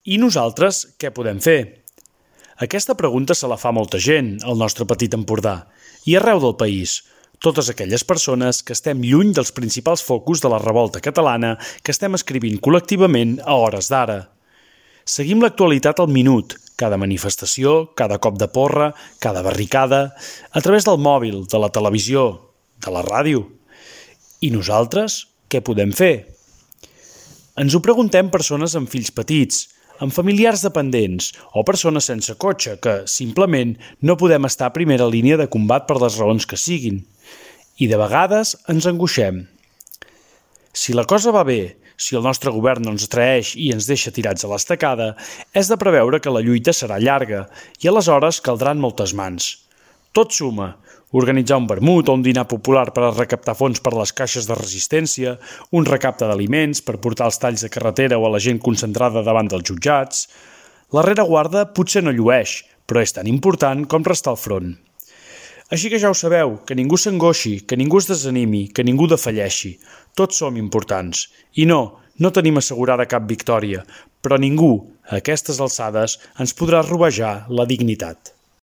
I nosaltres què podem fer? Aquesta pregunta se la fa molta gent al nostre petit Empordà i arreu del país. Totes aquelles persones que estem lluny dels principals focus de la revolta catalana que estem escrivint col·lectivament a hores d'ara. Seguim l'actualitat al minut, cada manifestació, cada cop de porra, cada barricada, a través del mòbil, de la televisió, de la ràdio. I nosaltres què podem fer? Ens ho preguntem persones amb fills petits, amb familiars dependents o persones sense cotxe que, simplement, no podem estar a primera línia de combat per les raons que siguin. I de vegades ens angoixem. Si la cosa va bé, si el nostre govern no ens traeix i ens deixa tirats a l'estacada, és de preveure que la lluita serà llarga i aleshores caldran moltes mans. Tot suma. Organitzar un vermut o un dinar popular per a recaptar fons per les caixes de resistència, un recapte d'aliments per portar els talls de carretera o a la gent concentrada davant dels jutjats. La rereguarda potser no llueix, però és tan important com restar al front. Així que ja ho sabeu, que ningú s'angoixi, que ningú es desanimi, que ningú defalleixi. Tots som importants. I no tenim assegurada cap victòria, però ningú, a aquestes alçades, ens podrà robejar la dignitat.